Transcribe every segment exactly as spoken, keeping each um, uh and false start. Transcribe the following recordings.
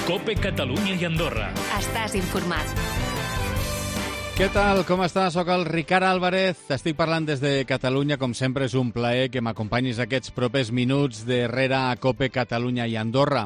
COPE Catalunya i Andorra. Estàs informat. Què tal? Com estàs? Soc el Ricard Álvarez. T'estic parlant des de Catalunya. Com sempre, és un plaer que m'acompanyis aquests propers minuts darrere a COPE Catalunya i Andorra.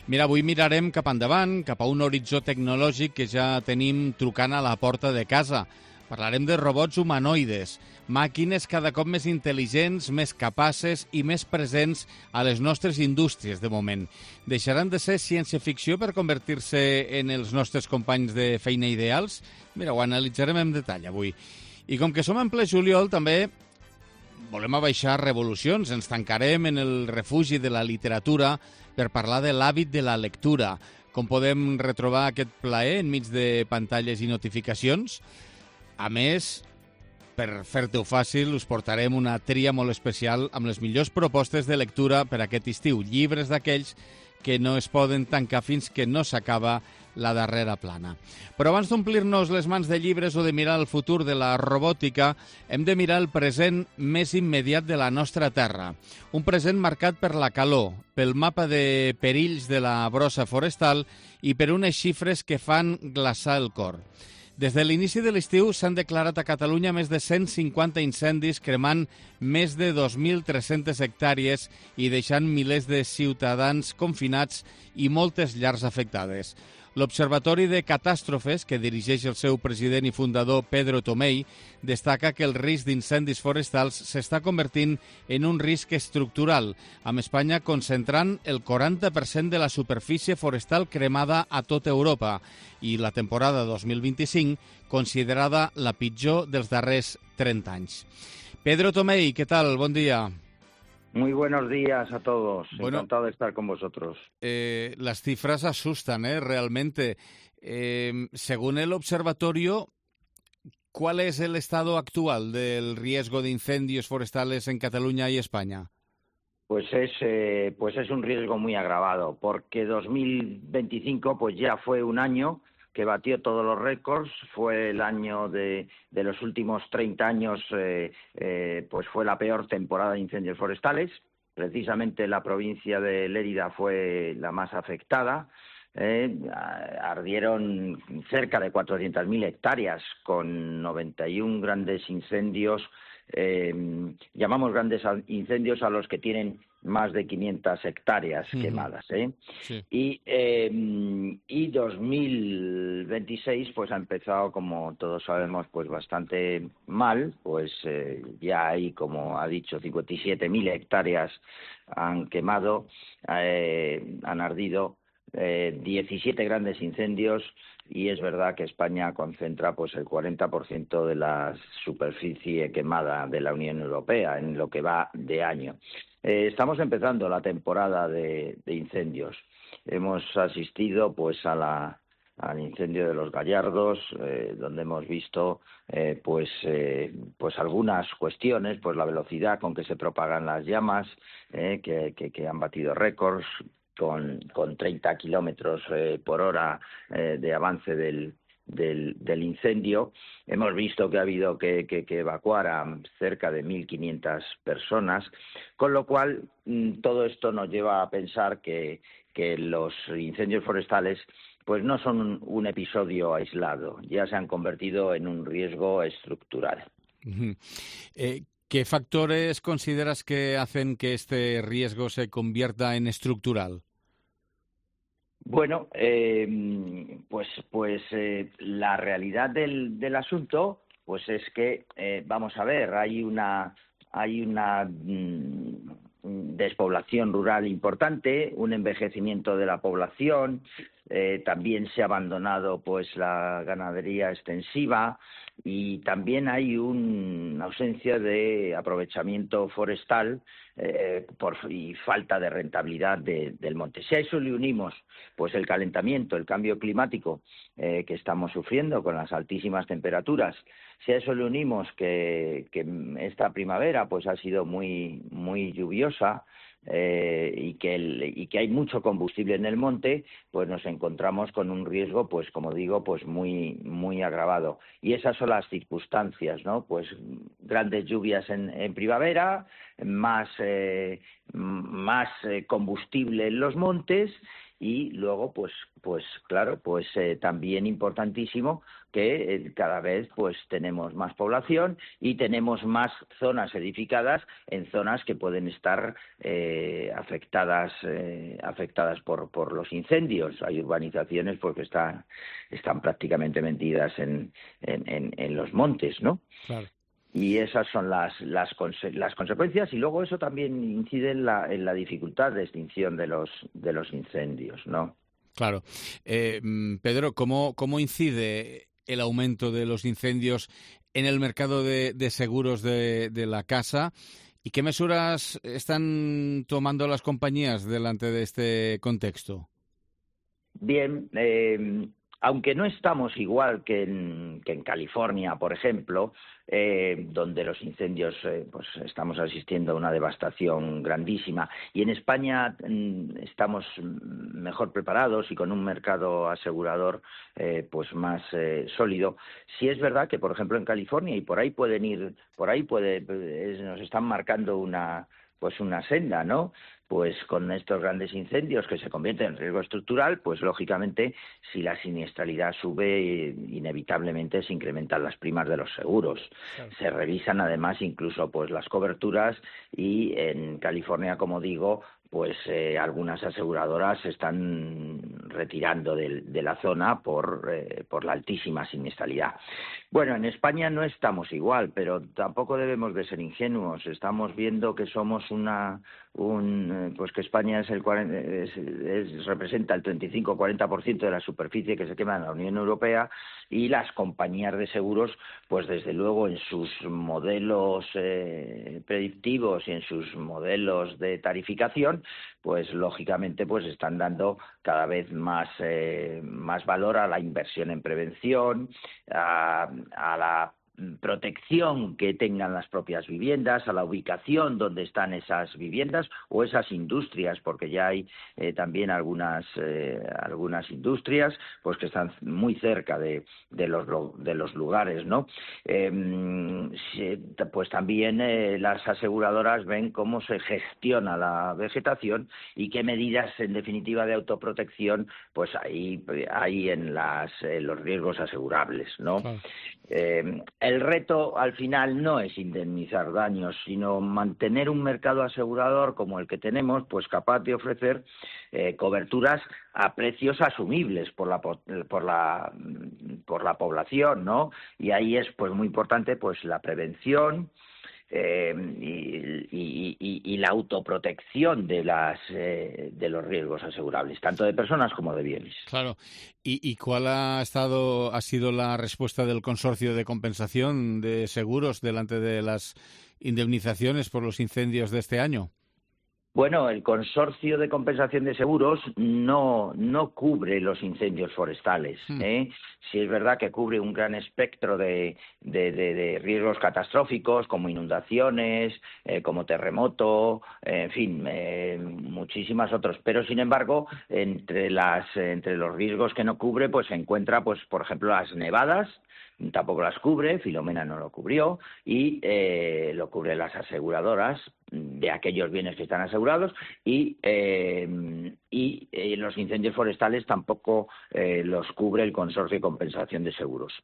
Mira, avui mirarem cap endavant, cap a un horitzó tecnològic que ja tenim trucant a la porta de casa. Parlarem de robots humanoides, màquines cada cop més intel·ligents, més capaces i més presents a les nostres indústries, de moment. Deixaran de ser ciència-ficció per convertir-se en els nostres companys de feina ideals? Mira, ho analitzarem en detall avui. I com que som en ple juliol, també volem abaixar revolucions. Ens tancarem en el refugi de la literatura per parlar de l'hàbit de la lectura. Com podem retrobar aquest plaer enmig de pantalles i notificacions? A més, per fer-te-ho fàcil, us portarem una tria molt especial amb les millors propostes de lectura per aquest estiu. Llibres d'aquells que no es poden tancar fins que no s'acaba la darrera plana. Però abans d'omplir-nos les mans de llibres o de mirar el futur de la robòtica, hem de mirar el present més immediat de la nostra terra. Un present marcat per la calor, pel mapa de perills de la brossa forestal i per unes xifres que fan glaçar el cor. Des de l'inici de l'estiu s'han declarat a Catalunya més de cent cinquanta incendis cremant més de dos mil tres-centes hectàrees i deixant milers de ciutadans confinats i moltes llars afectades. L'Observatori de Catàstrofes, que dirigeix el seu president i fundador Pedro Tomei, destaca que el risc d'incendis forestals s'està convertint en un risc estructural, amb Espanya concentrant el quaranta per cent de la superfície forestal cremada a tota Europa i la temporada dos mil vint-i-cinc considerada la pitjor dels darrers trenta anys. Pedro Tomei, ¿qué tal? Bon dia. Muy buenos días a todos. Bueno, encantado de estar con vosotros. Eh, las cifras asustan, ¿eh? Realmente. Eh, según el observatorio, ¿cuál es el estado actual del riesgo de incendios forestales en Cataluña y España? Pues es, eh, pues es un riesgo muy agravado, porque dos mil veinticinco pues ya fue un año que batió todos los récords, fue el año de, de los últimos treinta años, eh, eh, pues fue la peor temporada de incendios forestales. Precisamente la provincia de Lérida fue la más afectada. Eh, ardieron cerca de cuatrocientas mil hectáreas con noventa y uno grandes incendios. Eh, llamamos grandes incendios a los que tienen más de quinientas hectáreas uh-huh. quemadas, ¿eh? Sí. Y, eh, y dos mil veintiséis pues ha empezado, como todos sabemos, pues bastante mal, pues eh, ya hay, como ha dicho, cincuenta y siete mil hectáreas han quemado, eh, han ardido, eh, diecisiete grandes incendios. Y es verdad que España concentra pues el cuarenta por ciento de la superficie quemada de la Unión Europea en lo que va de año. Eh, estamos empezando la temporada de, de incendios. Hemos asistido pues a la, al incendio de los Gallardos, eh, donde hemos visto eh, pues, eh, pues algunas cuestiones, pues la velocidad con que se propagan las llamas, eh, que, que, que han batido récords, con, con treinta kilómetros eh, por hora eh, de avance del, del, del incendio. Hemos visto que ha habido que, que, que evacuar a cerca de mil quinientas personas, con lo cual mmm, todo esto nos lleva a pensar que, que los incendios forestales pues no son un, un episodio aislado, ya se han convertido en un riesgo estructural. Uh-huh. eh... ¿Qué factores consideras que hacen que este riesgo se convierta en estructural? Bueno, eh, pues, pues eh, la realidad del, del asunto, pues es que eh, vamos a ver, hay una, hay una mmm, despoblación rural importante, un envejecimiento de la población, eh, también se ha abandonado pues la ganadería extensiva. Y también hay una ausencia de aprovechamiento forestal eh, por, y falta de rentabilidad de, del monte. Si a eso le unimos pues el calentamiento, el cambio climático eh, que estamos sufriendo con las altísimas temperaturas, si a eso le unimos que, que esta primavera pues ha sido muy, muy lluviosa, Eh, y, que el, y que hay mucho combustible en el monte, pues nos encontramos con un riesgo, pues como digo, pues muy muy agravado. Y esas son las circunstancias, ¿no? Pues grandes lluvias en, en primavera, más eh, más eh, combustible en los montes y luego, pues, pues claro, pues eh, también importantísimo que eh, cada vez pues tenemos más población y tenemos más zonas edificadas en zonas que pueden estar eh, afectadas eh, afectadas por por los incendios. Hay urbanizaciones porque están están prácticamente metidas en en, en, en los montes, ¿no? Claro. Y esas son las, las, conse las consecuencias, y luego eso también incide en la, en la dificultad de extinción de los, de los incendios, ¿no? Claro. Eh, Pedro, ¿cómo, cómo incide el aumento de los incendios en el mercado de, de seguros de, de la casa? ¿Y qué medidas están tomando las compañías delante de este contexto? Bien, eh, aunque no estamos igual que en, que en California, por ejemplo, eh, donde los incendios, eh, pues estamos asistiendo a una devastación grandísima, y en España mm, estamos mejor preparados y con un mercado asegurador eh, pues más eh, sólido. Sí es verdad que, por ejemplo, en California, y por ahí pueden ir, por ahí puede, eh, nos están marcando una pues una senda, ¿no? Pues con estos grandes incendios que se convierten en riesgo estructural, pues lógicamente si la siniestralidad sube, inevitablemente se incrementan las primas de los seguros. Claro. Se revisan además incluso pues las coberturas, y en California, como digo, pues eh, algunas aseguradoras se están retirando de, de la zona por, eh, por la altísima siniestralidad. Bueno, en España no estamos igual, pero tampoco debemos de ser ingenuos. Estamos viendo que somos una un pues que España es el es, es, representa el treinta y cinco a cuarenta por ciento de la superficie que se quema en la Unión Europea, y las compañías de seguros, pues desde luego en sus modelos eh, predictivos y en sus modelos de tarificación, pues lógicamente pues están dando cada vez más eh, más valor a la inversión en prevención, a, a la protección que tengan las propias viviendas, a la ubicación donde están esas viviendas o esas industrias, porque ya hay eh, también algunas eh, algunas industrias pues que están muy cerca de, de los de los lugares, ¿no? Eh, pues también eh, las aseguradoras ven cómo se gestiona la vegetación y qué medidas en definitiva de autoprotección pues hay hay en las en los riesgos asegurables, ¿no? Claro. Eh, el reto al final no es indemnizar daños, sino mantener un mercado asegurador como el que tenemos, pues capaz de ofrecer eh, coberturas a precios asumibles por la por la por la población, ¿no? Y ahí es pues muy importante pues la prevención, Eh, y, y, y, y la autoprotección de las eh, de los riesgos asegurables, tanto de personas como de bienes. Claro. ¿Y, y cuál ha estado ha sido la respuesta del Consorcio de Compensación de Seguros delante de las indemnizaciones por los incendios de este año? Bueno, el Consorcio de Compensación de Seguros no, no cubre los incendios forestales, ¿eh? Sí es verdad que cubre un gran espectro de, de, de, de riesgos catastróficos como inundaciones, eh, como terremoto, eh, en fin, eh, muchísimas otros. Pero, sin embargo, entre, las, entre los riesgos que no cubre, pues se encuentra, pues por ejemplo, las nevadas. Tampoco las cubre, Filomena no lo cubrió, y eh, lo cubren las aseguradoras de aquellos bienes que están asegurados, y, eh, y eh, los incendios forestales tampoco eh, los cubre el Consorcio de Compensación de Seguros.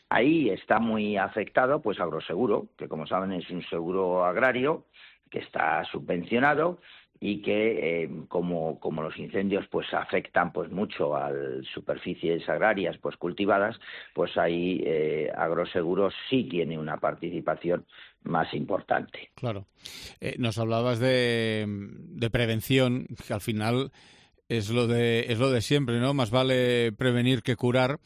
Ahí está muy afectado pues Agroseguro, que como saben es un seguro agrario que está subvencionado, y que eh, como, como los incendios pues afectan pues mucho a superficies agrarias pues cultivadas, pues ahí eh, Agroseguro sí tiene una participación más importante. Claro. Eh, nos hablabas de, de prevención, que al final es lo de es lo de siempre, ¿no? Más vale prevenir que curar.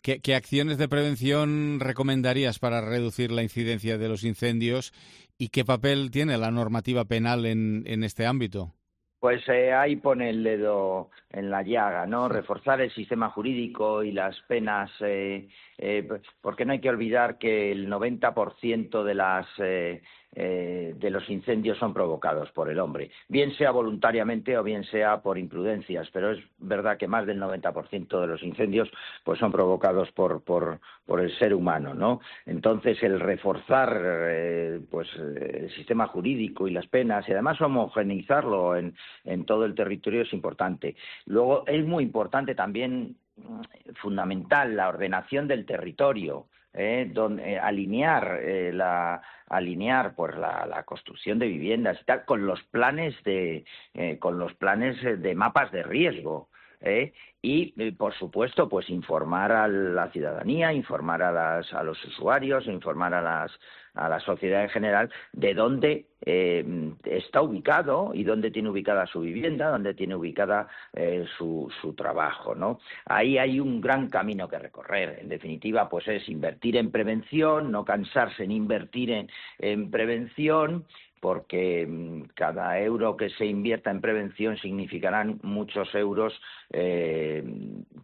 ¿Qué, qué acciones de prevención recomendarías para reducir la incidencia de los incendios y qué papel tiene la normativa penal en, en este ámbito? Pues eh, ahí pone el dedo en la llaga, ¿no? Reforzar el sistema jurídico y las penas, eh, eh, porque no hay que olvidar que el noventa por ciento de las eh, eh, de los incendios son provocados por el hombre, bien sea voluntariamente o bien sea por imprudencias, pero es verdad que más del noventa por ciento de los incendios pues son provocados por, por, por el ser humano, ¿no? Entonces, el reforzar eh, pues el sistema jurídico y las penas, y además homogeneizarlo en, en todo el territorio es importante. Luego, es muy importante también, fundamental, la ordenación del territorio. Eh, donde, eh, alinear eh, la alinear pues la, la construcción de viviendas y tal con los planes de eh, con los planes de mapas de riesgo. ¿Eh? Y, eh, por supuesto, pues informar a la ciudadanía, informar a, las, a los usuarios, informar a, las, a la sociedad en general de dónde eh, está ubicado y dónde tiene ubicada su vivienda, dónde tiene ubicada eh, su, su trabajo, ¿no? Ahí hay un gran camino que recorrer. En definitiva, pues es invertir en prevención, no cansarse en invertir en, en prevención, porque cada euro que se invierta en prevención significarán muchos euros eh,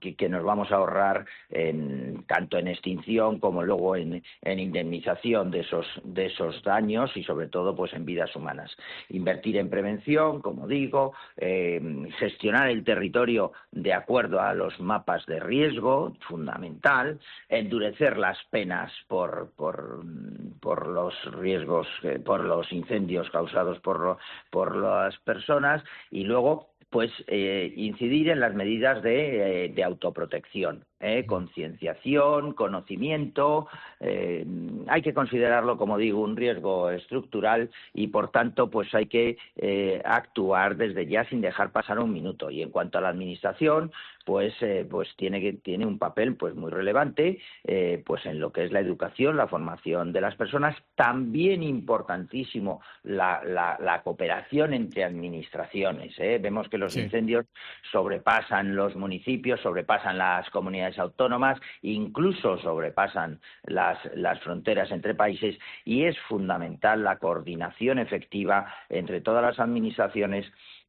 que, que nos vamos a ahorrar en, tanto en extinción como luego en, en indemnización de esos, de esos daños y sobre todo pues en vidas humanas. Invertir en prevención, como digo, eh, gestionar el territorio de acuerdo a los mapas de riesgo, fundamental, endurecer las penas por, por, por los riesgos, eh, por los incendios causados por, por las personas y luego pues eh, incidir en las medidas de, eh, de autoprotección, eh, concienciación, conocimiento. Eh, hay que considerarlo, como digo, un riesgo estructural y, por tanto, pues hay que eh, actuar desde ya sin dejar pasar un minuto. Y en cuanto a la administración, pues eh, pues tiene que tiene un papel pues muy relevante, eh, pues en lo que es la educación, la formación de las personas. También importantísimo la, la, la cooperación entre administraciones. ¿eh? Vemos que los sí. incendios sobrepasan los municipios, sobrepasan las comunidades autónomas, incluso sobrepasan las, las fronteras entre países, y es fundamental la coordinación efectiva entre todas las administraciones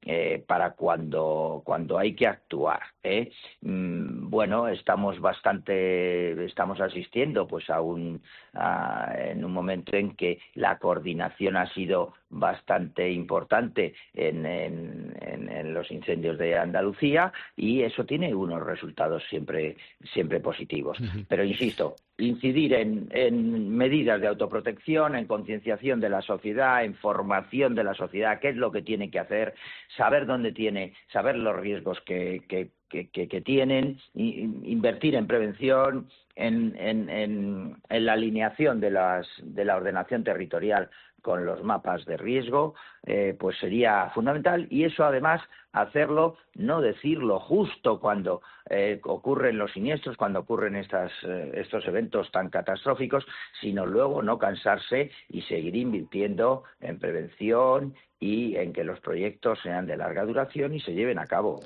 Eh, para cuando cuando hay que actuar. ¿eh? Mm, bueno, estamos bastante, estamos asistiendo pues a un a, en un momento en que la coordinación ha sido bastante importante en, en, en, en los incendios de Andalucía y eso tiene unos resultados siempre siempre positivos. Uh-huh. Pero insisto, incidir en, en medidas de autoprotección, en concienciación de la sociedad, en formación de la sociedad, qué es lo que tiene que hacer, saber dónde tiene, saber los riesgos que, que, que, que, que tienen, y, invertir en prevención, en, en, en, en la alineación de, las, de la ordenación territorial con los mapas de riesgo, eh, pues sería fundamental, y eso además hacerlo, no decirlo justo cuando eh, ocurren los siniestros, cuando ocurren estas, eh, estos eventos tan catastróficos, sino luego no cansarse y seguir invirtiendo en prevención y en que los proyectos sean de larga duración y se lleven a cabo.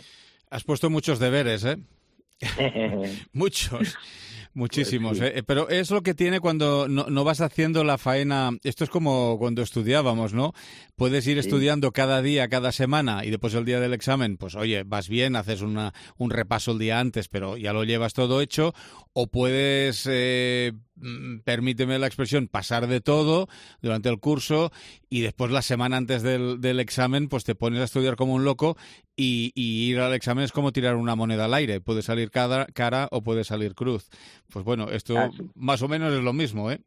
Has puesto muchos deberes, ¿eh? Muchos. Muchísimos, pues sí. eh, pero es lo que tiene cuando no, no vas haciendo la faena. Esto es como cuando estudiábamos, ¿no? Puedes ir sí. estudiando cada día, cada semana, y después el día del examen, pues oye, vas bien, haces una, un repaso el día antes, pero ya lo llevas todo hecho, o puedes, eh, permíteme la expresión, pasar de todo durante el curso y después la semana antes del, del examen, pues te pones a estudiar como un loco y, y ir al examen es como tirar una moneda al aire, puede salir cara, cara o puede salir cruz. Pues bueno, esto así. Más o menos es lo mismo, ¿eh?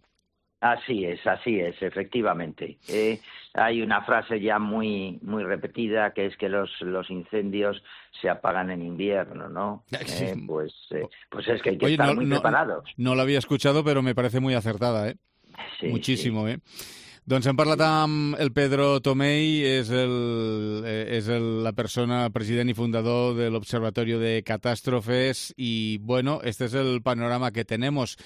Así es, así es, efectivamente. Eh, hay una frase ya muy muy repetida que es que los los incendios se apagan en invierno, ¿no? Sí. Eh, pues eh, pues es que hay que Oye, estar no, muy no, preparados. No lo había escuchado, pero me parece muy acertada, ¿eh? Sí, Muchísimo, sí. ¿eh? Doncs hem parlat amb el Pedro Tomei, és, el, és el, la persona, president i fundador de l'Observatorio de Catástrofes, y bueno, este es el panorama que tenemos.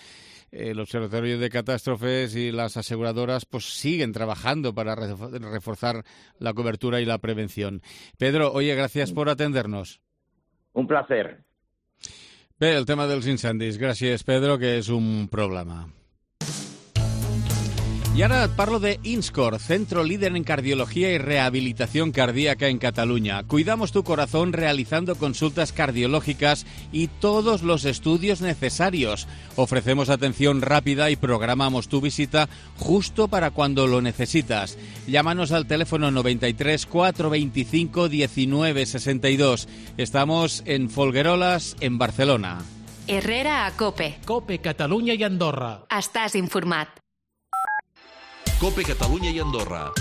El Observatorio de Catástrofes y las aseguradoras pues siguen trabajando para reforzar la cobertura y la prevención. Pedro, oye, gracias por atendernos. Un placer. Bé, el tema dels incendis. Gràcies, Pedro, que és un problema. Y ahora parlo de INSCOR, centro líder en cardiología y rehabilitación cardíaca en Cataluña. Cuidamos tu corazón realizando consultas cardiológicas y todos los estudios necesarios. Ofrecemos atención rápida y programamos tu visita justo para cuando lo necesitas. Llámanos al teléfono noventa y tres, cuatrocientos veinticinco, diecinueve sesenta y dos. Estamos en Folgueroles, en Barcelona. Herrera a Cope. Cope Catalunya i Andorra. Estàs informat. Cope Catalunya y Andorra.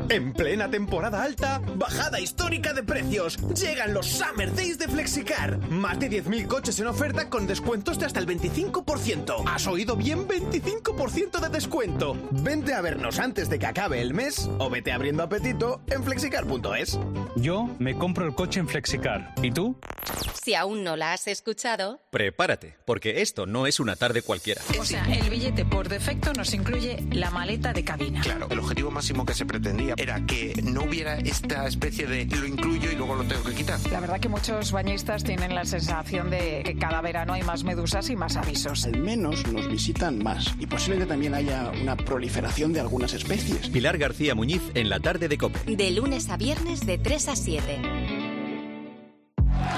En plena temporada alta, bajada histórica de precios. Llegan los Summer Days de Flexicar. Más de diez mil coches en oferta con descuentos de hasta el veinticinco por ciento. ¿Has oído bien? veinticinco por ciento de descuento. Vente a vernos antes de que acabe el mes o vete abriendo apetito en flexicar punto es. Yo me compro el coche en Flexicar. ¿Y tú? Si aún no la has escuchado... Prepárate, porque esto no es una tarde cualquiera. O sea, el billete por defecto nos incluye la maleta de cabina. Claro, el objetivo máximo que se pretendía era que no hubiera esta especie de lo incluyo y luego lo tengo que quitar. La verdad que muchos bañistas tienen la sensación de que cada verano hay más medusas y más avisos. Al menos nos visitan más y posiblemente también haya una proliferación de algunas especies. Pilar García Muñiz en la tarde de COPE. De lunes a viernes de tres a siete.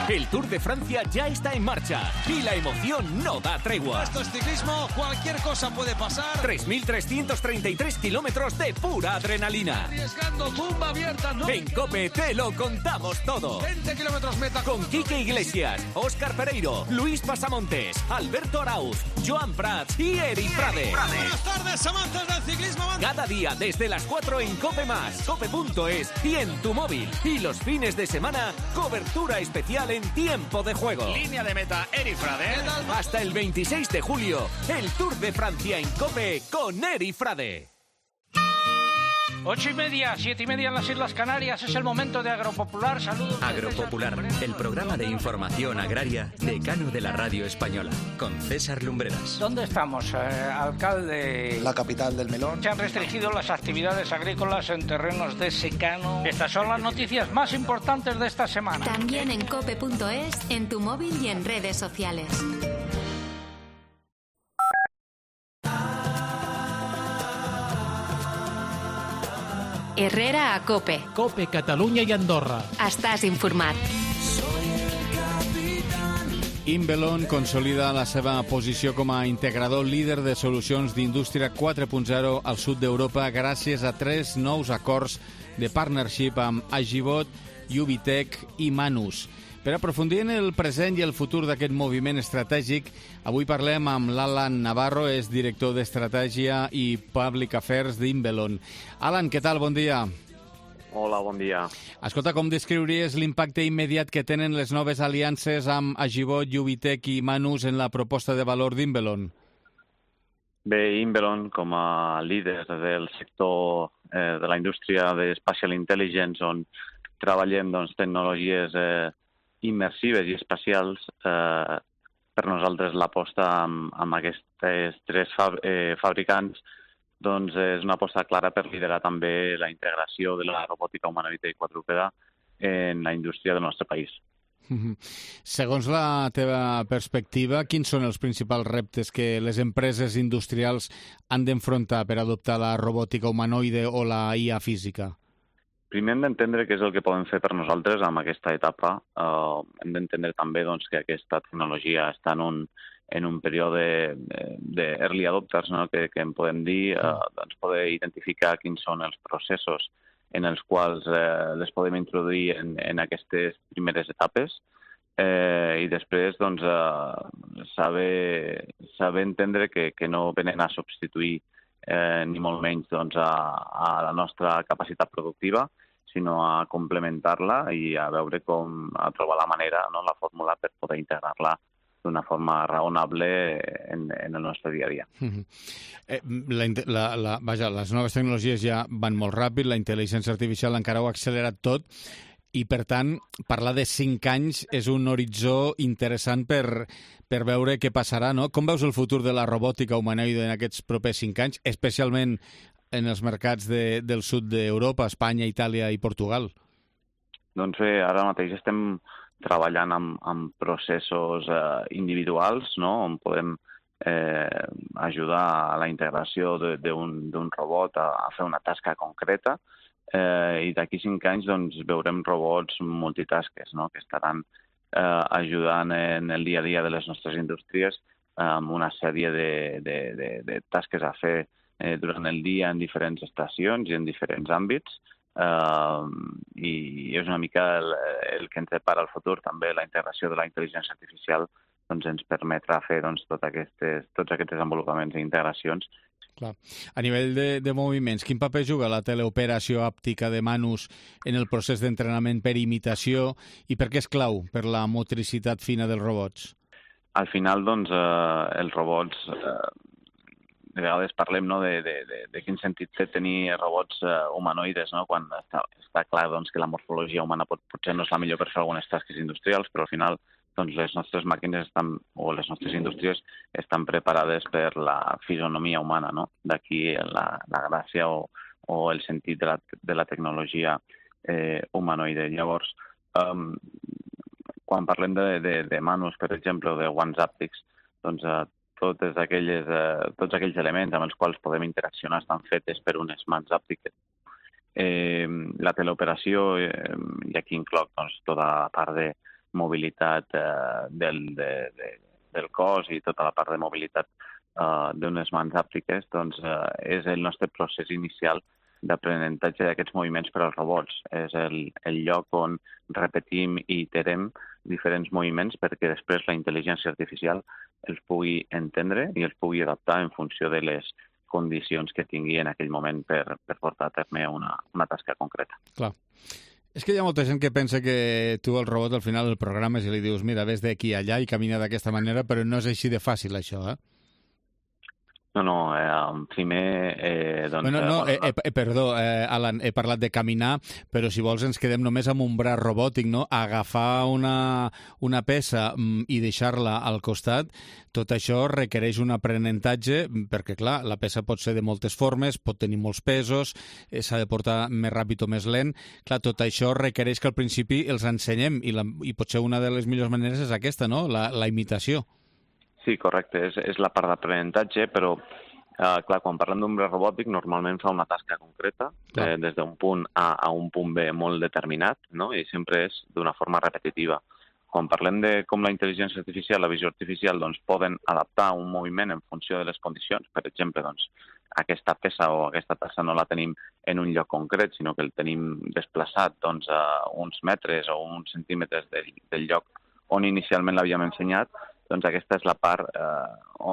El Tour de Francia ya está en marcha y la emoción no da tregua. Esto es ciclismo, cualquier cosa puede pasar. tres mil trescientos treinta y tres kilómetros de pura adrenalina. Arriesgando, tumba abierta, ¿no? En COPE te lo contamos todo. veinte kilómetros meta. Con Quique Iglesias, Óscar Pereiro, Luis Pasamontes, Alberto Arauz, Joan Prats y Eric Frade. Buenas tardes, amantes del ciclismo. Cada día desde las cuatro en COPE más, cope punto es y en tu móvil. Y los fines de semana, cobertura especial en tiempo de juego. Línea de meta, Eric Frade. Hasta el veintiséis de julio, el Tour de Francia en COPE con Eric Frade. Ocho y media, siete y media en las Islas Canarias. Es el momento de Agropopular. Saludos. Agropopular, el programa de información agraria decano de la radio española, con César Lumbreras. ¿Dónde estamos, eh, alcalde? La capital del melón. Se han restringido las actividades agrícolas en terrenos de secano. Estas son las noticias más importantes de esta semana. También en cope punto es, en tu móvil y en redes sociales. Herrera a Cope. Cope Catalunya i Andorra. Estàs informat. Inbelon consolida la seva posició com a integrador líder de solucions d'indústria quatre punt zero al sud d'Europa gràcies a tres nous acords de partnership amb Agibot, Ubitec i Manus. Per aprofundir en el present i el futur d'aquest moviment estratègic, avui parlem amb l'Alan Navarro, és director d'Estratègia i Public Affairs d'Inbelon. Alan, què tal? Bon dia. Hola, bon dia. Escolta, com descriuries l'impacte immediat que tenen les noves aliances amb Agibot, Ubitec i Manus en la proposta de valor d'Inbelon? Bé, Inbelon, com a líder del sector eh, de la indústria de Spatial Intelligence, on treballem doncs, tecnologies eh, immersives i espacials, eh, per nosaltres l'aposta amb, amb aquests tres fab, eh, fabricants doncs és una aposta clara per liderar també la integració de la robòtica humanoide i quadrúpeda en la indústria del nostre país. Segons la teva perspectiva, quins són els principals reptes que les empreses industrials han d'enfrontar per adoptar la robòtica humanoide o la I A física? Primer hem d'entendre què és el que podem fer per nosaltres amb aquesta etapa. Uh, hem d'entendre també doncs, que aquesta tecnologia està en un, en un període d'early adopters, no? que, que en podem dir, uh, doncs poder identificar quins són els processos en els quals eh, les podem introduir en, en aquestes primeres etapes eh, i després doncs, eh, saber, saber entendre que, que no venen a substituir eh, ni molt menys doncs, a, a la nostra capacitat productiva, sinó a complementar-la i a veure com a trobar la manera, no, la fórmula per poder integrar-la d'una forma raonable en, en el nostre dia a dia. Uh-huh. eh, la, la, la, vaja, les noves tecnologies ja van molt ràpid, la intel·ligència artificial encara ho ha accelerat tot, i per tant, parlar de cinc anys és un horitzó interessant per, per veure què passarà, no? Com veus el futur de la robòtica humanoide en aquests propers cinc anys, especialment en els mercats de, del sud d'Europa, Espanya, Itàlia i Portugal? Doncs bé, ara mateix estem treballant amb, amb processos eh, individuals, no? On podem eh, ajudar a la integració d'un robot a, a fer una tasca concreta, eh, i d'aquí cinc anys doncs, veurem robots multitasques, no?, que estaran eh, ajudant en el dia a dia de les nostres indústries amb una sèrie de, de, de, de tasques a fer eh, durant el dia en diferents estacions i en diferents àmbits, uh, i és una mica el, el que ens depara el futur. També la integració de la intel·ligència artificial doncs, ens permetrà fer doncs, tot aquestes, tots aquests desenvolupaments i integracions. Clar. A nivell de, de moviments, quin paper juga la teleoperació àptica de Manus en el procés d'entrenament per imitació i per què és clau per la motricitat fina dels robots? Al final, doncs, eh, els robots, eh, de vegades parlem, no, de, de, de, de quin sentit té tenir robots eh, humanoides, no? Quan està, està clar doncs, que la morfologia humana pot, potser no és la millor per fer algunes tasques industrials, però al final doncs, les nostres màquines estan, o les nostres indústries estan preparades per la fisonomia humana, no? D'aquí la, la gràcia o, o el sentit de la, de la tecnologia eh, humanoide. Llavors, um, quan parlem de, de, de Manus, per exemple, o de One Zaptics, doncs eh, totes aquelles, eh, tots aquells elements amb els quals podem interaccionar estan fetes per unes mans àptiques. Eh, la teleoperació, eh, i aquí incloc doncs, tota la part de mobilitat eh, del, de, de, del cos i tota la part de mobilitat eh, d'unes mans àptiques, doncs eh, és el nostre procés inicial d'aprenentatge d'aquests moviments per als robots. És el, el lloc on repetim i iterem diferents moviments perquè després la intel·ligència artificial els pugui entendre i els pugui adaptar en funció de les condicions que tingui en aquell moment per, per portar a terme una, una tasca concreta. Clar. És que hi ha molta gent que pensa que tu el robot al final del programa i li dius mira, ves d'aquí a allà i camina d'aquesta manera, però no és així de fàcil això, eh? No, no, eh, primer... Eh, doncs, bueno, no, eh, eh, perdó, eh, Alan, he parlat de caminar, però si vols ens quedem només amb un braç robòtic, no? Agafar una, una peça i deixar-la al costat, tot això requereix un aprenentatge, perquè, clar, la peça pot ser de moltes formes, pot tenir molts pesos, eh, s'ha de portar més ràpid o més lent. Clar, tot això requereix que al principi els ensenyem, i, la, i potser una de les millors maneres és aquesta, no? La, la imitació. Sí, correcte, és, és la part d'aprenentatge, però eh, clar, quan parlem d'un braç robòtic normalment fa una tasca concreta, eh, des d'un punt A a un punt B molt determinat, no? I sempre és d'una forma repetitiva. Quan parlem de com la intel·ligència artificial, la visió artificial, doncs poden adaptar un moviment en funció de les condicions. Per exemple, doncs, aquesta peça o aquesta tassa no la tenim en un lloc concret, sinó que el tenim desplaçat doncs, a uns metres o uns centímetres del, del lloc on inicialment l'havíem ensenyat. Doncs aquesta és la part eh,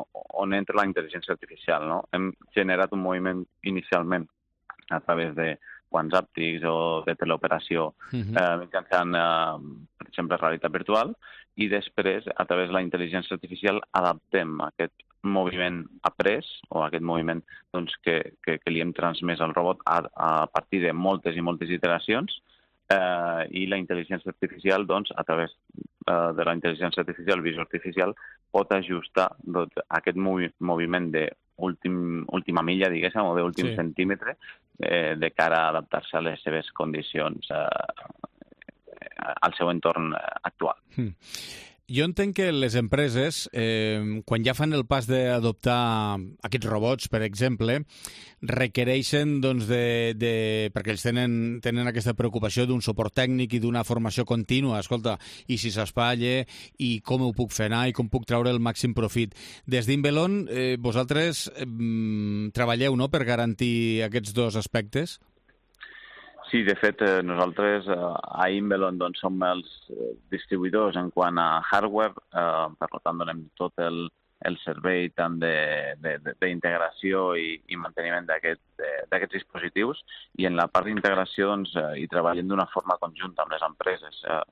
on entra la intel·ligència artificial, no? Hem generat un moviment inicialment a través de guants àptics o de teleoperació uh-huh. eh, mitjançant, eh, per exemple, realitat virtual, i després, a través de la intel·ligència artificial, adaptem aquest moviment après o aquest moviment doncs, que, que, que li hem transmès al robot a, a partir de moltes i moltes iteracions, eh, i la intel·ligència artificial, doncs, a través de la intel·ligència artificial, visió artificial, pot ajustar doncs, aquest movi moviment d'última milla, diguéssim, o d'últim sí. centímetre, eh, de cara a adaptar-se a les seves condicions, eh, al seu entorn actual. Mm. Jo entenc que les empreses, eh, quan ja fan el pas d'adoptar aquests robots, per exemple, requereixen, doncs, de, de, perquè ells tenen, tenen aquesta preocupació d'un suport tècnic i d'una formació contínua. Escolta, i si s'espatlla, i com ho puc fer anar, i com puc treure el màxim profit. Des d'Invelon, eh, vosaltres eh, treballeu, no?, per garantir aquests dos aspectes? Sí, de fet, eh, nosaltres eh, a Invelon doncs, som els eh, distribuïdors en quant a hardware, eh, per tant donem tot el, el servei tant d'integració i, i manteniment d'aquests aquest, dispositius, i en la part d'integració doncs, eh, hi treballem d'una forma conjunta amb les empreses, eh,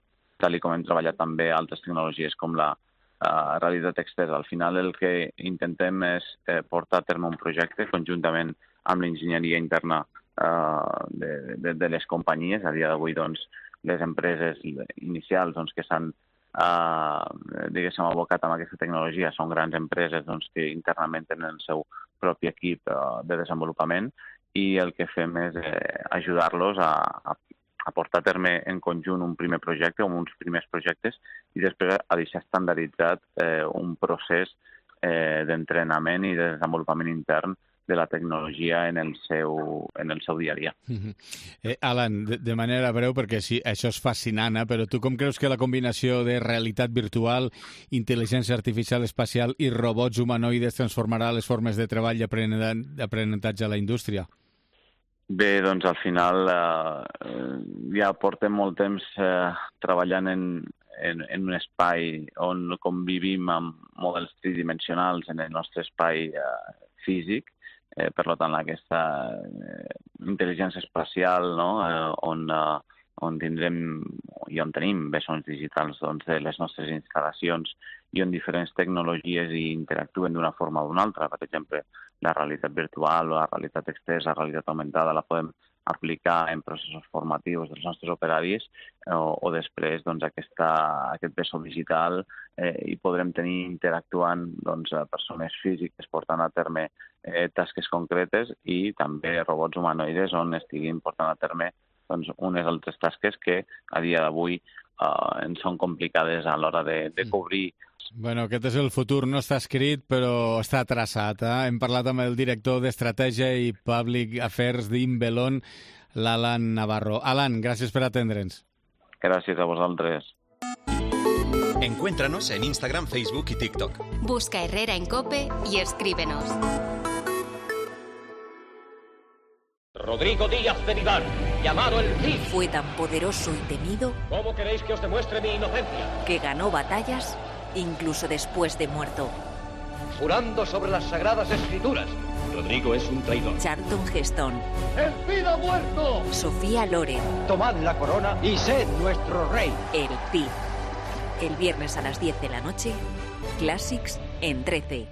tal com hem treballat també altres tecnologies com la eh, realitat externa. Al final el que intentem és eh, portar a terme un projecte conjuntament amb l'enginyeria interna De, de, de les companyies. A dia d'avui, doncs, les empreses inicials doncs, que s'han eh, diguéssim, abocat amb aquesta tecnologia són grans empreses doncs, que internament tenen el seu propi equip eh, de desenvolupament, i el que fem és eh, ajudar-los a, a, a portar a terme en conjunt un primer projecte o uns primers projectes i després a deixar estandarditzat eh, un procés eh, d'entrenament i de desenvolupament intern de la tecnologia en el seu, en el seu dia a dia. Uh-huh. eh, Alan, de, de manera breu, perquè sí, això és fascinant, eh? Però tu com creus que la combinació de realitat virtual, intel·ligència artificial espacial i robots humanoides transformarà les formes de treball i d'aprenentatge a la indústria? Bé, doncs al final eh, ja portem molt temps eh, treballant en, en, en un espai on convivim amb models tridimensionals en el nostre espai eh, físic. Eh, per tant, aquesta eh, intel·ligència espacial, no? eh, on, eh, on tindrem i on tenim bessons digitals doncs, de les nostres instal·lacions i on diferents tecnologies interactuen d'una forma o d'una altra. Per exemple, la realitat virtual o la realitat externa, la realitat augmentada, la podem aplicar en processos formatius dels nostres operaris o, o després doncs, aquesta, aquest vessó digital eh, i podrem tenir interactuant doncs, persones físiques portant a terme eh, tasques concretes i també robots humanoides on estiguin portant a terme doncs, unes altres tasques que a dia d'avui eh, en són complicades a l'hora de, de cobrir. Bueno, aquest és el futur, no està escrit, però està traçat. Eh? Hem parlat amb el director d'Estratègia i Public Affairs d'Inbelon, l'Alan Navarro. Alan, gràcies per atendre'ns. Gràcies a vosaltres. Encuéntranos en Instagram, Facebook y TikTok. Busca Herrera en Cope y escríbenos. Rodrigo Díaz de Vivar, llamado el Cid. Fue tan poderoso y temido. ¿Cómo queréis que os demuestre mi inocencia? Que ganó batallas incluso después de muerto. Jurando sobre las sagradas escrituras. Rodrigo es un traidor. Charlton Heston. ¡El Cid ha muerto! Sofía Loren. Tomad la corona y sed nuestro rey. El Cid. El viernes a las diez de la noche, Classics en trece.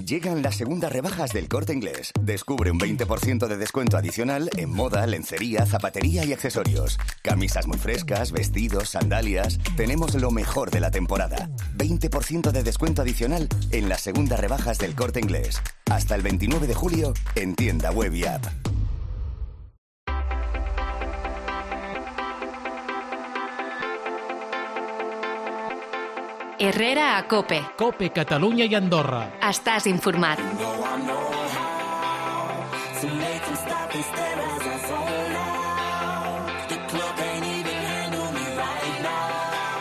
Llegan las segundas rebajas del Corte Inglés. Descubre un veinte por ciento de descuento adicional en moda, lencería, zapatería y accesorios. Camisas muy frescas, vestidos, sandalias. Tenemos lo mejor de la temporada. veinte por ciento de descuento adicional en las segundas rebajas del Corte Inglés. Hasta el veintinueve de julio en tienda web y app. Herrera a Cope. Cope, Catalunya i Andorra. Estàs informat.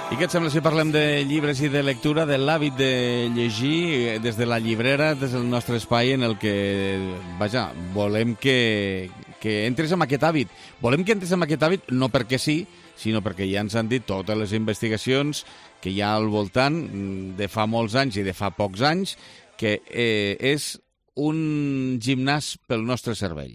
I què et sembla si parlem de llibres i de lectura, de l'hàbit de llegir des de la llibrera, des del nostre espai en el que, vaja, volem que, que entres en aquest hàbit. Volem que entres en aquest hàbit no perquè sí, sinó perquè ja ens han dit totes les investigacions que hi ha al voltant de fa molts anys i de fa pocs anys, que eh, és un gimnàs pel nostre cervell.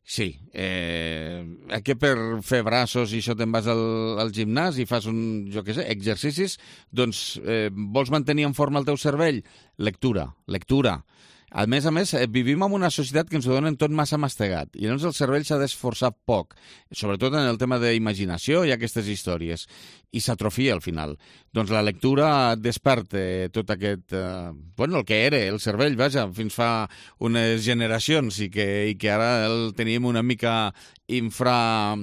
Sí, eh, que per fer braços i això te'n vas al, al gimnàs i fas un, jo què sé, exercicis, doncs eh, vols mantenir en forma el teu cervell? Lectura, lectura. A més a més, vivim en una societat que ens ho donen tot massa mastegat i llavors el cervell s'ha d'esforçar poc, sobretot en el tema d'imaginació i aquestes històries, i s'atrofia al final. Doncs la lectura desperta tot aquest... Eh, bueno, el que era el cervell, vaja, fins fa unes generacions i que, i que ara el tenim una mica infra...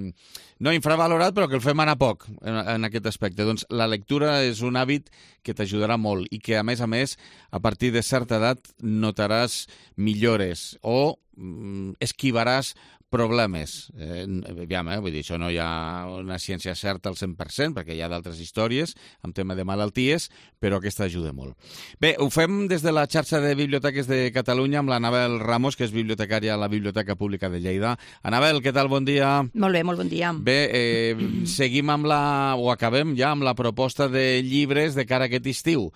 no infravalorat, però que el fem anar poc en, en aquest aspecte. Doncs la lectura és un hàbit que t'ajudarà molt i que, a més a més, a partir de certa edat notaràs millores o mm, esquivaràs problemes. Eh, aviam, eh? Vull dir, això no hi ha una ciència certa al cent per cent, perquè hi ha d'altres històries amb tema de malalties, però aquesta ajuda molt. Bé, ho fem des de la xarxa de biblioteques de Catalunya amb l'Anabel Ramos, que és bibliotecària a la Biblioteca Pública de Lleida. Anabel, què tal? Bon dia. Molt bé, molt bon dia. Bé, eh, seguim amb la, o acabem ja amb la proposta de llibres de cara a aquest estiu.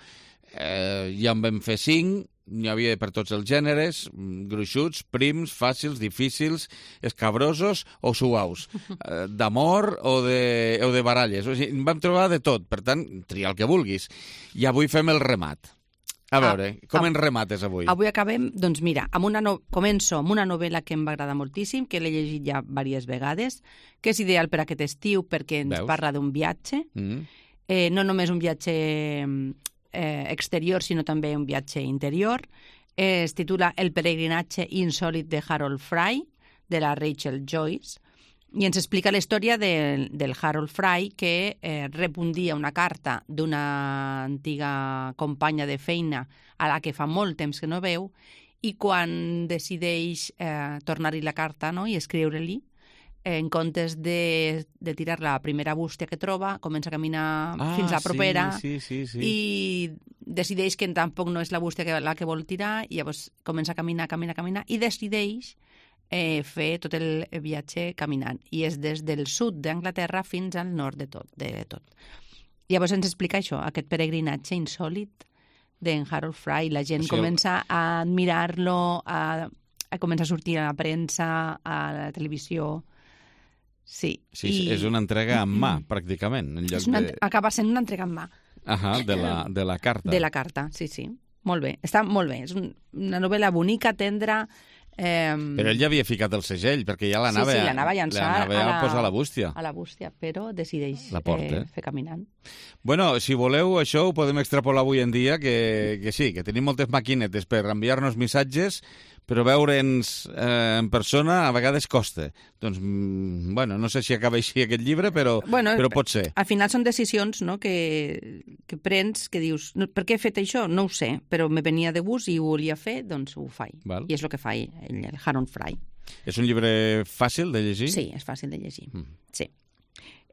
Eh, ja en vam fer cinc, n'hi havia per tots els gèneres, gruixuts, prims, fàcils, difícils, escabrosos o suaus, d'amor o de, o de baralles. O sigui, en vam trobar de tot, per tant, tria el que vulguis. I avui fem el remat. A veure, ah, com en remates avui? Avui acabem, doncs mira, amb una no... començo amb una novel·la que em va agradar moltíssim, que l'he llegit ja diverses vegades, que és ideal per aquest estiu perquè ens Veus? parla d'un viatge, mm. eh, no només un viatge... Eh, exterior, sinó també un viatge interior. Eh, es titula El peregrinatge insòlit de Harold Fry, de la Rachel Joyce. I ens explica la història de, del Harold Fry, que eh, rep un dia una carta d'una antiga companya de feina a la que fa molt temps que no veu, i quan decideix eh, tornar-hi la carta, no?, i escriure-li, eh, en comptes de, de tirar la primera bústia que troba, comença a caminar ah, fins a la propera, sí, sí, sí, sí. i decideix que tampoc no és la bústia que, la que vol tirar, i llavors comença a caminar, caminar, caminar, i decideix Eh, fer tot el viatge caminant. I és des del sud d'Anglaterra fins al nord de tot. De tot. Llavors ens explica això, aquest peregrinatge insòlit d'en Harold Fry. La gent o sigui, comença a admirar-lo, a, a començar a sortir a la premsa, a la televisió. Sí. Sí, I... és una entrega en mà, pràcticament. En lloc una, de... Acaba sent una entrega en mà. Ahà, de la, de la carta. De la carta, sí, sí. Molt bé. Està molt bé. És un, una novel·la bonica, tendra. Eh... Però ell ja havia ficat el segell, perquè ja l'anava sí, sí, l'anava a llançar a, la, a, posar a la bústia. A la bústia, però decideix la porta, eh, fer caminant. Bueno, si voleu, això ho podem extrapolar avui en dia, que, que sí, que tenim moltes maquinetes per enviar-nos missatges, però veure'ns eh, en persona a vegades costa. Doncs, mm, bueno, no sé si acaba així aquest llibre, però, bueno, però pot ser. Al final són decisions, no?, que, que prens, que dius, no, per què he fet això? No ho sé, però me venia de gust i ho volia fer, doncs ho faig. Val. I és el que fa ell, el Harold Fry. És un llibre fàcil de llegir? Sí, és fàcil de llegir, mm. sí.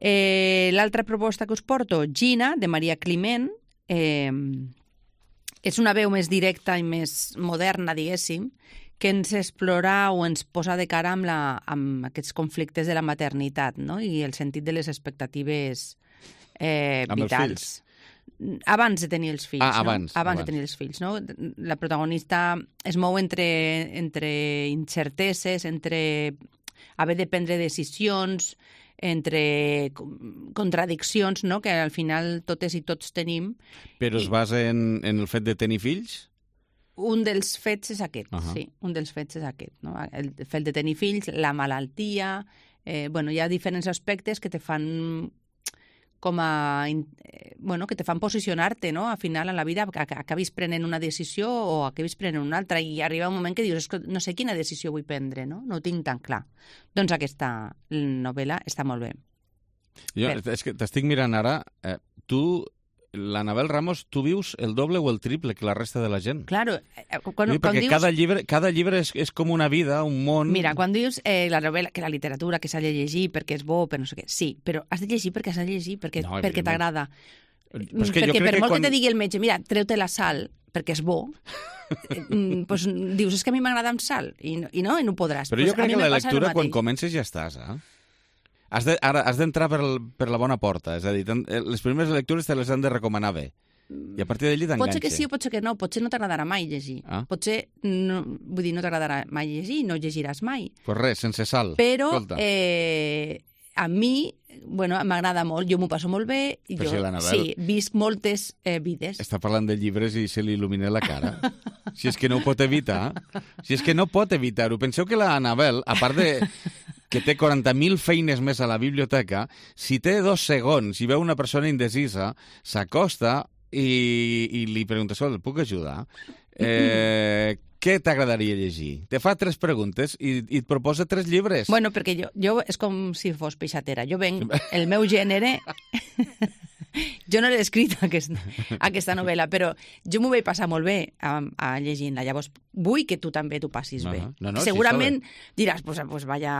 Eh, l'altra proposta que us porto, Gina, de Maria Climent, eh, és una veu més directa i més moderna, diguéssim, que ens explora o ens posa de cara amb, la, amb aquests conflictes de la maternitat, no?, i el sentit de les expectatives eh, amb vitals. Abans de tenir els fills, ah, no? Abans, abans, abans de tenir els fills, no? La protagonista es mou entre, entre incerteses, entre haver de prendre decisions, entre contradiccions, no?, que al final totes i tots tenim. Però es basa en, en el fet de tenir fills? Un dels fets és aquest, uh -huh. sí, un dels fets és aquest, no? El fet de tenir fills, la malaltia, eh, bueno, hi ha diferents aspectes que te fan com a, eh, bueno, que te fan posicionar-te, no?, al final en la vida, que acabis prenent una decisió o acabis prenent una altra, i arriba un moment que dius, no sé quina decisió vull prendre, no?, no ho tinc tan clar. Doncs aquesta novel·la està molt bé. Jo, per... és que t'estic mirant ara, eh, tu... l'Anabel Ramos, tu vius el doble o el triple que la resta de la gent. Claro. Quan, sí, quan perquè dius... cada llibre, cada llibre és, és com una vida, un món... Mira, quan dius eh, la novel·la, que la literatura, que s'ha de llegir perquè és bo, per no sé què, sí, però has de llegir perquè has de llegir, perquè, no, perquè t'agrada. Perquè per molt quan... que te digui el metge, mira, treu-te la sal perquè és bo, pues, dius, és que a mi m'agrada amb sal, i no, i no, i no podràs. Però pues, jo crec que la lectura, quan comences, ja estàs, eh? Has de, ara has d'entrar per, per la bona porta, és a dir, les primeres lectures te les han de recomanar bé. I a partir d'allí t'enganxa. Pot ser que sí o pot ser que no. Potser no t'agradarà mai llegir. Ah. Potser, no, vull dir, no t'agradarà mai llegir i no llegiràs mai. Pues res, sense sal. Però eh, a mi, bueno, m'agrada molt. Jo m'ho passo molt bé. I Però jo, si sí, visc moltes eh, vides. Està parlant de llibres i se li il·lumina la cara. Si és que no ho pot evitar. Si és que no pot evitar-ho. Penseu que la Anabel, a part de... que té quaranta mil feines més a la biblioteca, si té dos segons i veu una persona indecisa, s'acosta i, i li pregunta, el puc ajudar? Eh, què t'agradaria llegir? Te fa tres preguntes i, i et proposa tres llibres. Bueno, perquè jo, jo és com si fos peixatera. Jo venc, el meu gènere... Jo no l'he escrit, aquesta, aquesta novel·la, però jo m'ho vaig passar molt bé a, a llegint-la. Llavors, vull que tu també t'ho passis no, bé. No, no, segurament sí, diràs, pues, pues vaya,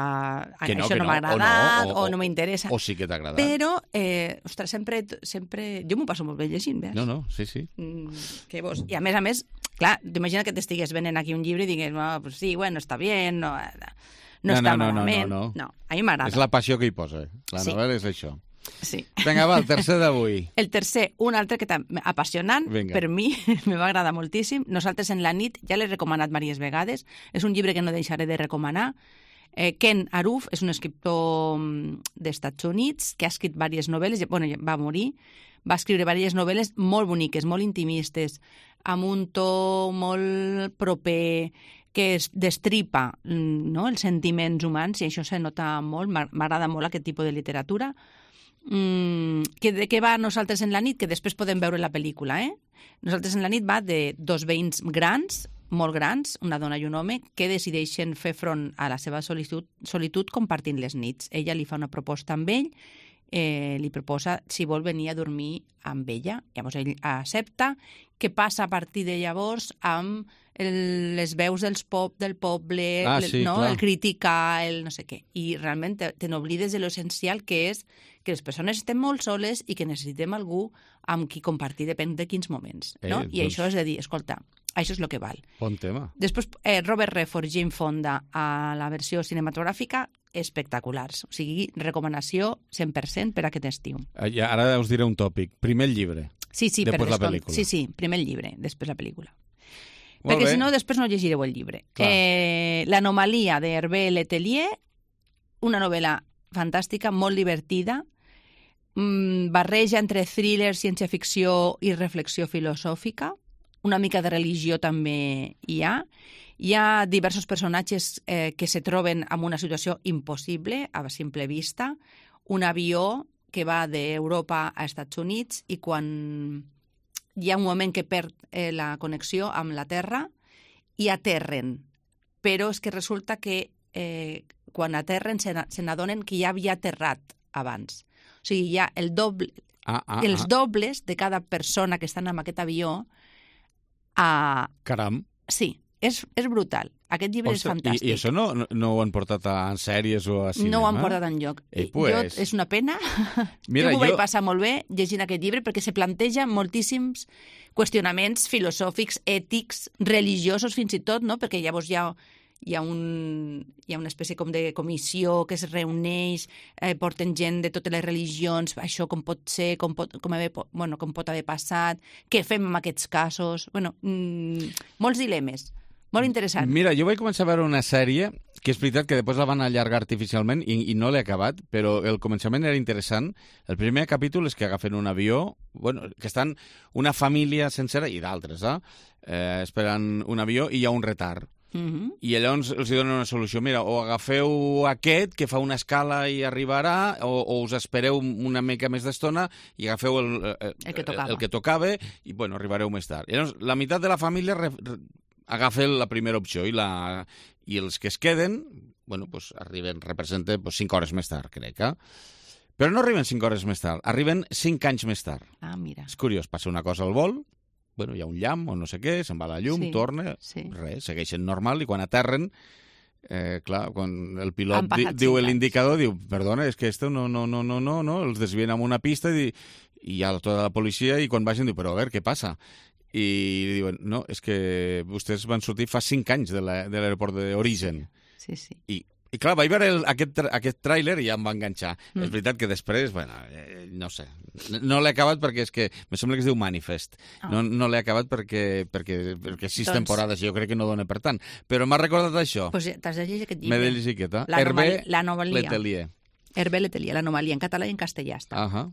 que no, això que no, no m'ha agradat, o, no, o, o, o no m'interessa. O sí que t'ha agradat. Però, eh, ostres, sempre, sempre... Jo m'ho passo molt bé llegint, veus? No, no, sí, sí. Mm, que vos... I a més a més, clar, t'imagina que t'estigués venent aquí un llibre i digués, no, pues sí, bueno, està bien, no, no, no està no, no, malament. No, no, no. no, a mi m'agrada. És la passió que hi posa. La sí. novel·la és això. Sí. Vinga, va, el tercer d'avui. El tercer, un altre que també apassionant, Vinga. per mi, me va agradar moltíssim. Nosaltres en la nit, ja l'he recomanat diverses vegades, és un llibre que no deixaré de recomanar. Eh, Ken Aruf és un escriptor dels Estats Units que ha escrit diverses novel·les, bueno, va morir, va escriure diverses novel·les molt boniques, molt intimistes, amb un to molt proper, que es destripa, no?, els sentiments humans, i això se nota molt, m'agrada molt aquest tipus de literatura. Mm, que de què va Nosaltres en la nit? Que després podem veure la pel·lícula, eh? Nosaltres en la nit va de dos veïns grans molt grans, una dona i un home, que decideixen fer front a la seva solitud, solitud compartint les nits. Ella li fa una proposta amb ell, eh, li proposa si vol venir a dormir amb ella. Llavors ell accepta. Què passa a partir de llavors amb el, les veus dels pop, del poble, ah, sí, no? clar. El criticar, el no sé què. I realment te, te n'oblides de l'essencial, que és que les persones estem molt soles i que necessitem algú amb qui compartir, depèn de quins moments. No? Eh, I doncs... això és de dir, escolta, això és el que val. Bon tema. Després, eh, Robert Redford, Jane Fonda, a la versió cinematogràfica, espectaculars. O sigui, recomanació cent per cent per aquest estiu. I ara us diré un tòpic. Primer el llibre, sí, sí, després per la pel·lícula. Sí, sí, primer el llibre, després la pel·lícula. Molt Perquè bé. si no, després no llegireu el llibre. Eh, L'anomalia d'Hervé Letelier, una novel·la fantàstica, molt divertida, mmm, barreja entre thriller, ciència-ficció i reflexió filosòfica, una mica de religió també hi ha. Hi ha diversos personatges eh, que se troben en una situació impossible, a simple vista. Un avió que va d'Europa a Estats Units i quan hi ha un moment que perd eh, la connexió amb la Terra i aterren. Però és que resulta que eh, quan aterren se n'adonen que ja havia aterrat abans. O sigui, hi ha el doble, ah, ah, els ah. dobles de cada persona que estan en aquest avió. A... Caram. Sí, és, és brutal. Aquest llibre Ostres, és fantàstic. I, i això no, no, no ho han portat a sèries o a cinema? No ho han portat enlloc. Eh, pues... jo, és una pena. Mira, jo m'ho jo... vaig passar molt bé llegint aquest llibre perquè se planteja moltíssims qüestionaments filosòfics, ètics, religiosos fins i tot, no? Perquè llavors hi ha, hi ha, un, hi ha una espècie com de comissió que es reuneix, eh, porten gent de totes les religions, això com pot ser, com pot, com haver, bueno, com pot haver passat, què fem en aquests casos... Bueno, mmm, molts dilemes. Molt interessant. Mira, jo vaig començar a veure una sèrie que és veritat que després la van allargar artificialment i, i no l'he acabat, però el començament era interessant. El primer capítol és que agafen un avió, bueno, que estan una família sencera i d'altres, eh? eh, esperant un avió i hi ha un retard. Uh-huh. I llavors els donen una solució. Mira, o agafeu aquest, que fa una escala i arribarà, o, o us espereu una mica més d'estona i agafeu el, el, el, que tocava. el que tocava i, bueno, arribareu més tard. I llavors, la meitat de la família re, re, agafa la primera opció i, la, i els que es queden, bueno, pues, arriben, representen pues, cinc hores més tard, crec, eh? Però no arriben cinc hores més tard, arriben cinc anys més tard. Ah, mira. És curiós, passa una cosa al vol, bueno, hi ha un llamp o no sé què, se'n va la llum, sí, torna, sí. res, segueixen normal, i quan aterren, eh, clar, quan el Han pilot di, passat diu cinc l'indicador, diu, perdona, és que esto no, no, no, no, no, no, els desvien amb una pista i, i hi ha tota la policia i quan vagin diu, però a veure, què passa? I diuen, no, és que vostès van sortir fa cinc anys de l'aeroport d'origen. Sí, sí. I, i clar, vaig veure el, aquest, aquest tràiler i ja em va enganxar. Mm. És veritat que després, bueno, eh, no sé, no l'he acabat perquè és que, me sembla que es diu Manifest. Oh. No, no l'he acabat perquè, perquè, perquè sis doncs... temporades, jo crec que no dona per tant. Però m'ha recordat això. Pues t'has de llegir aquest llibre. M'he de llegir aquest, eh? Hervé L'anomalia. Letelier. Hervé Letelier, l'anomalia, en català i en castellà està. Uh -huh.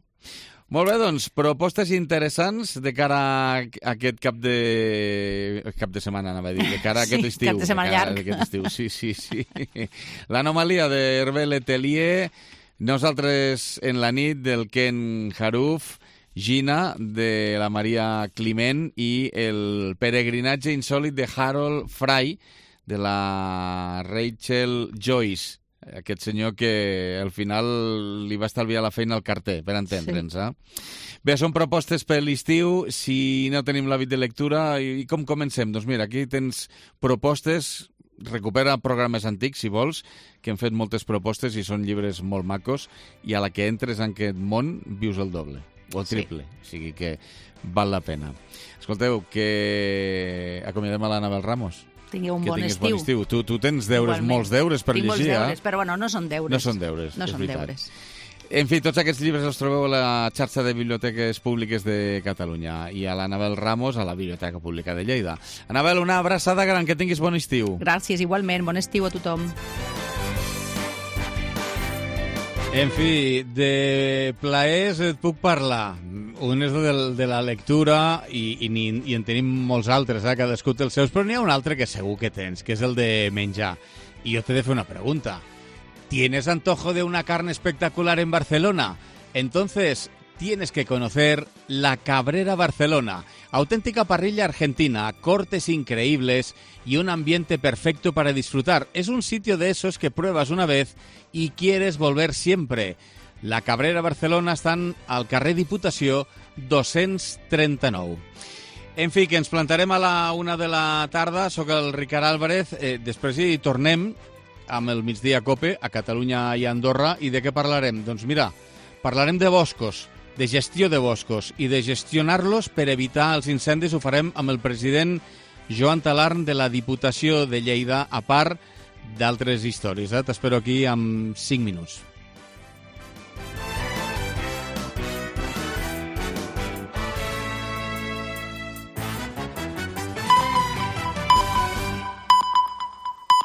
Molt bé, doncs, propostes interessants de cara a aquest cap de... cap de setmana, anava a dir, de cara a aquest sí, estiu. cap de setmana de llarg. Aquest estiu. Sí, sí, sí. L'anomalia d'Hervé Letelier, Nosaltres en la nit del Ken Haruf, Gina de la Maria Climent i el peregrinatge insòlit de Harold Fry de la Rachel Joyce. Aquest senyor que al final li va estalviar la feina al carter, per entendre'ns. Sí. Eh? Bé, són propostes per l'estiu. Si no tenim l'hàbit de lectura, i com comencem? Doncs mira, aquí tens propostes, recupera programes antics, si vols, que hem fet moltes propostes i són llibres molt macos, i a la que entres en aquest món vius el doble, o el triple. Sí. O sigui que val la pena. Escolteu, que acomiadem a l'Anabel Ramos. Tingueu un que bon estiu. bon estiu. Tu, tu tens deures, Igualment. molts deures per Tinc llegir, molts deures, eh? però bueno, no són deures. No són deures, no és són veritat. deures. En fi, tots aquests llibres els trobeu a la xarxa de biblioteques públiques de Catalunya i a l'Anabel Ramos a la Biblioteca Pública de Lleida. Anabel, una abraçada gran, que tinguis bon estiu. Gràcies, igualment. Bon estiu a tothom. En fi, de plaers et puc parlar. Un és de, de la lectura i, i, i en tenim molts altres, eh? Cadascú té els seus, però n'hi ha un altre que segur que tens, que és el de menjar. I jo t'he de fer una pregunta. ¿Tienes antojo de una carne espectacular en Barcelona? Entonces, tienes que conocer la Cabrera Barcelona, auténtica parrilla argentina, cortes increíbles y un ambiente perfecto para disfrutar. Es un sitio de esos que pruebas una vez y quieres volver siempre. La Cabrera Barcelona estan al carrer Diputació dos-cents trenta-nou. En fi, que ens plantarem a la una de la tarda. Soc el Ricard Álvarez. Eh, després hi tornem amb el Migdia Cope a Catalunya i Andorra. I de què parlarem? Doncs mira, parlarem de boscos, de gestió de boscos i de gestionar-los per evitar els incendis. Ho farem amb el president Joan Talarn de la Diputació de Lleida, a part d'altres històries. Eh? T'espero aquí en cinc minuts.